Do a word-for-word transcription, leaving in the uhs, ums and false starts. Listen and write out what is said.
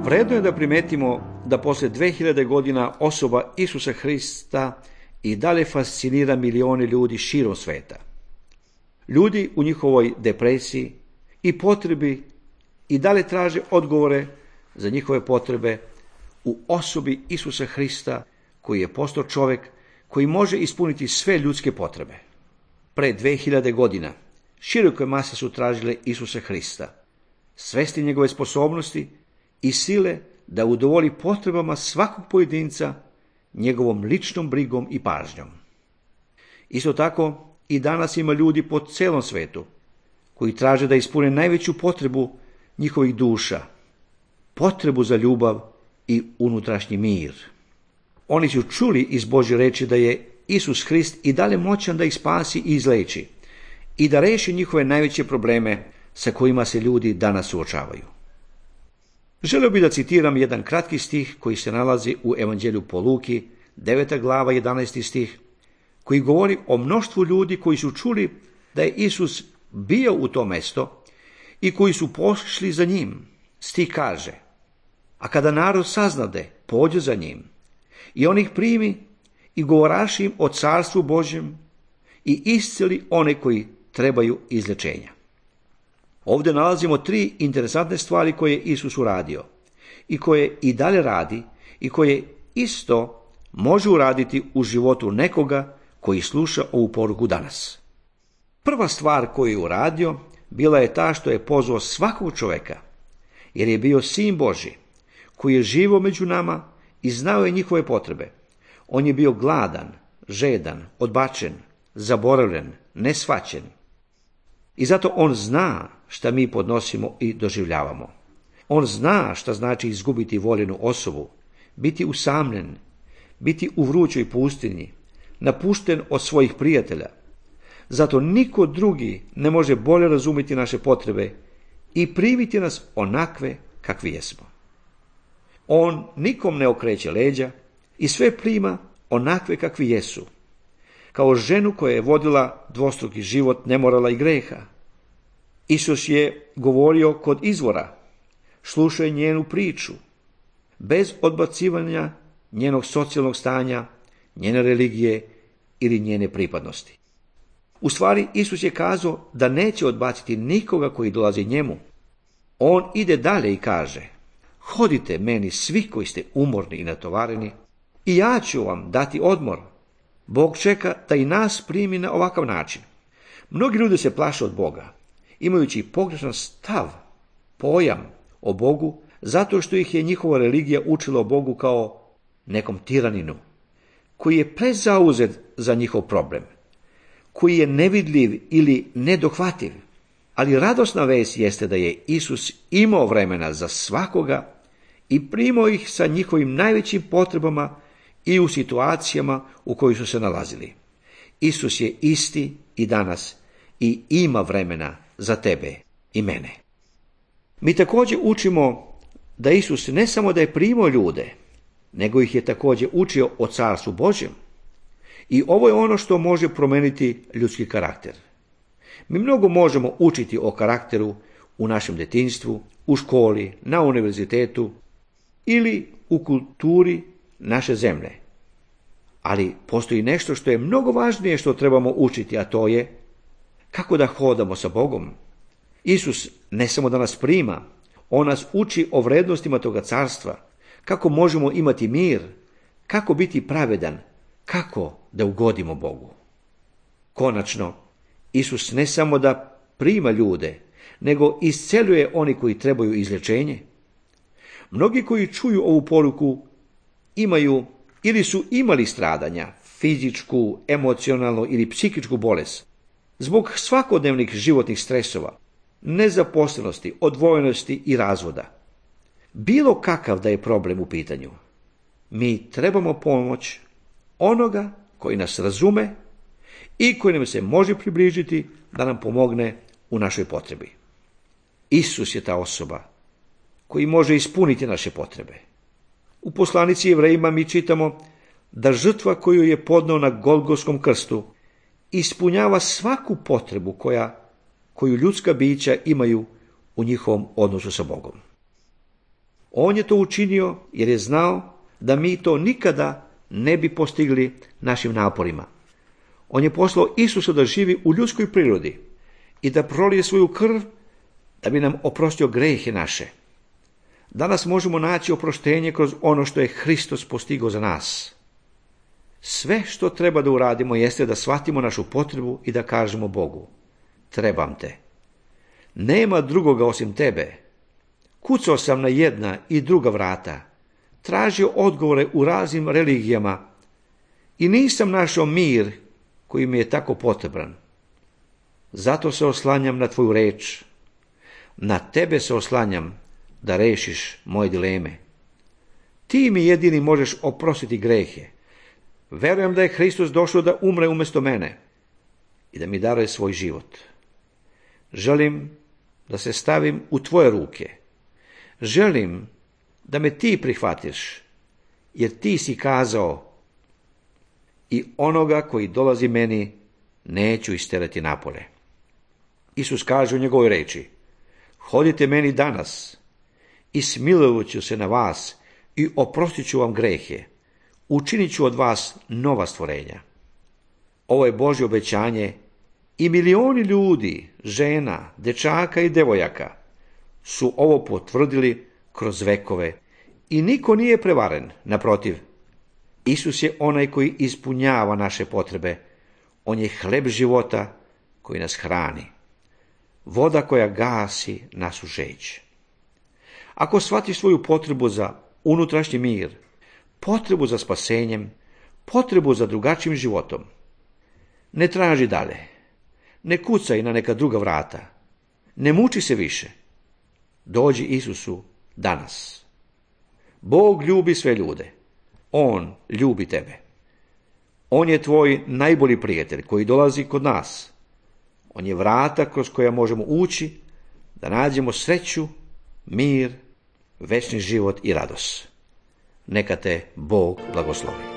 Vredno je da primetimo da posle dve hiljade godina osoba Isusa Hrista i dalje fascinira milione ljudi širom sveta. Ljudi u njihovoj depresiji i potrebi i dalje traže odgovore za njihove potrebe u osobi Isusa Hrista, koji je postao čovjek koji može ispuniti sve ljudske potrebe. Pre dve hiljade godina široke mase su tražile Isusa Hrista, svesti njegove sposobnosti i sile da udovolji potrebama svakog pojedinca njegovom ličnom brigom i pažnjom. Isto tako i danas ima ljudi po celom svetu koji traže da ispune najveću potrebu njihovih duša, potrebu za ljubav i unutrašnji mir. Oni su čuli iz Božje reči da je Isus Hrist i dalje moćan da ih spasi i izleči i da reši njihove najveće probleme sa kojima se ljudi danas suočavaju. Želio bih da citiram jedan kratki stih koji se nalazi u Evanđelju po Luki, deveta glava, jedanaesti stih, koji govori o mnoštvu ljudi koji su čuli da je Isus bio u to mesto i koji su pošli za njim. Stih kaže: a kada narod saznade, pođe za njim i on ih primi i govoraši im o carstvu Božjem i isceli one koji trebaju izlječenja. Ovdje nalazimo tri interesantne stvari koje je Isus uradio i koje i dalje radi i koje isto može uraditi u životu nekoga koji sluša ovu poruku danas. Prva stvar koju je uradio bila je ta što je pozvao svakog čovjeka, jer je bio Sin Božji, koji je živio među nama i znao je njihove potrebe. On je bio gladan, žedan, odbačen, zaboravljen, neshvaćen. I zato on zna šta mi podnosimo i doživljavamo. On zna šta znači izgubiti voljenu osobu, biti usamljen, biti u vrućoj pustinji, napušten od svojih prijatelja. Zato niko drugi ne može bolje razumjeti naše potrebe i primiti nas onakve kakvi jesmo. On nikom ne okreće leđa i sve prima onakve kakvi jesu, kao ženu koja je vodila dvostruki život nemorala i greha. Isus je govorio kod izvora, slušao je njenu priču, bez odbacivanja njenog socijalnog stanja, njene religije ili njene pripadnosti. U stvari, Isus je kazao da neće odbaciti nikoga koji dolazi njemu. On ide dalje i kaže: hodite meni svi koji ste umorni i natovareni i ja ću vam dati odmor. Bog čeka da i nas primi na ovakav način. Mnogi ljudi se plaše od Boga, imajući pogrešan stav, pojam o Bogu, zato što ih je njihova religija učila o Bogu kao nekom tiraninu, koji je prezauzet za njihov problem, koji je nevidljiv ili nedohvativ. Ali radosna vest jeste da je Isus imao vremena za svakoga i primao ih sa njihovim najvećim potrebama i u situacijama u kojoj su se nalazili. Isus je isti i danas i ima vremena za tebe i mene. Mi također učimo da Isus ne samo da je primao ljude, nego ih je također učio o carstvu Božjem. I ovo je ono što može promijeniti ljudski karakter. Mi mnogo možemo učiti o karakteru u našem djetinjstvu, u školi, na univerzitetu ili u kulturi naše zemlje. Ali postoji nešto što je mnogo važnije što trebamo učiti, a to je kako da hodamo sa Bogom. Isus ne samo da nas prima, on nas uči o vrednostima toga carstva, kako možemo imati mir, kako biti pravedan, kako da ugodimo Bogu. Konačno, Isus ne samo da prima ljude, nego isceljuje oni koji trebaju izlječenje. Mnogi koji čuju ovu poruku imaju ili su imali stradanja, fizičku, emocionalnu ili psihičku bolest, zbog svakodnevnih životnih stresova, nezaposlenosti, odvojenosti i razvoda. Bilo kakav da je problem u pitanju, mi trebamo pomoć onoga koji nas razume i koji nam se može približiti da nam pomogne u našoj potrebi. Isus je ta osoba koji može ispuniti naše potrebe. U poslanici Jevrejima mi čitamo da žrtva koju je podneo na Golgotskom krstu ispunjava svaku potrebu koja, koju ljudska bića imaju u njihovom odnosu sa Bogom. On je to učinio jer je znao da mi to nikada ne bi postigli našim naporima. On je poslao Isusa da živi u ljudskoj prirodi i da prolije svoju krv da bi nam oprostio grehe naše. Danas možemo naći oproštenje kroz ono što je Hristos postigao za nas. Sve što treba da uradimo jeste da shvatimo našu potrebu i da kažemo Bogu: trebam te. Nema drugoga osim tebe. Kucao sam na jedna i druga vrata, tražio odgovore u raznim religijama i nisam našao mir koji mi je tako potreban. Zato se oslanjam na tvoju reč. Na tebe se oslanjam da rešiš moje dileme. Ti mi jedini možeš oprostiti grehe. Verujem da je Hristos došao da umre umjesto mene i da mi daruje svoj život. Želim da se stavim u tvoje ruke. Želim da me ti prihvatiš, jer ti si kazao: i onoga koji dolazi meni neću isterati napolje. Isus kaže u njegovoj reči: hodite meni danas i smilovat ću se na vas i oprostit ću vam grehe. Učinit ću od vas nova stvorenja. Ovo je Božje obećanje i milioni ljudi, žena, dečaka i devojaka su ovo potvrdili kroz vekove i niko nije prevaren. Naprotiv, Isus je onaj koji ispunjava naše potrebe. On je hleb života koji nas hrani, voda koja gasi našu žeđ. Ako shvatiš svoju potrebu za unutrašnji mir, potrebu za spasenjem, potrebu za drugačijim životom, ne traži dalje, ne kucaj na neka druga vrata, ne muči se više. Dođi Isusu danas. Bog ljubi sve ljude. On ljubi tebe. On je tvoj najbolji prijatelj koji dolazi kod nas. On je vrata kroz koja možemo ući da nađemo sreću, mir, večni život i radost. Neka te Bog blagoslovi.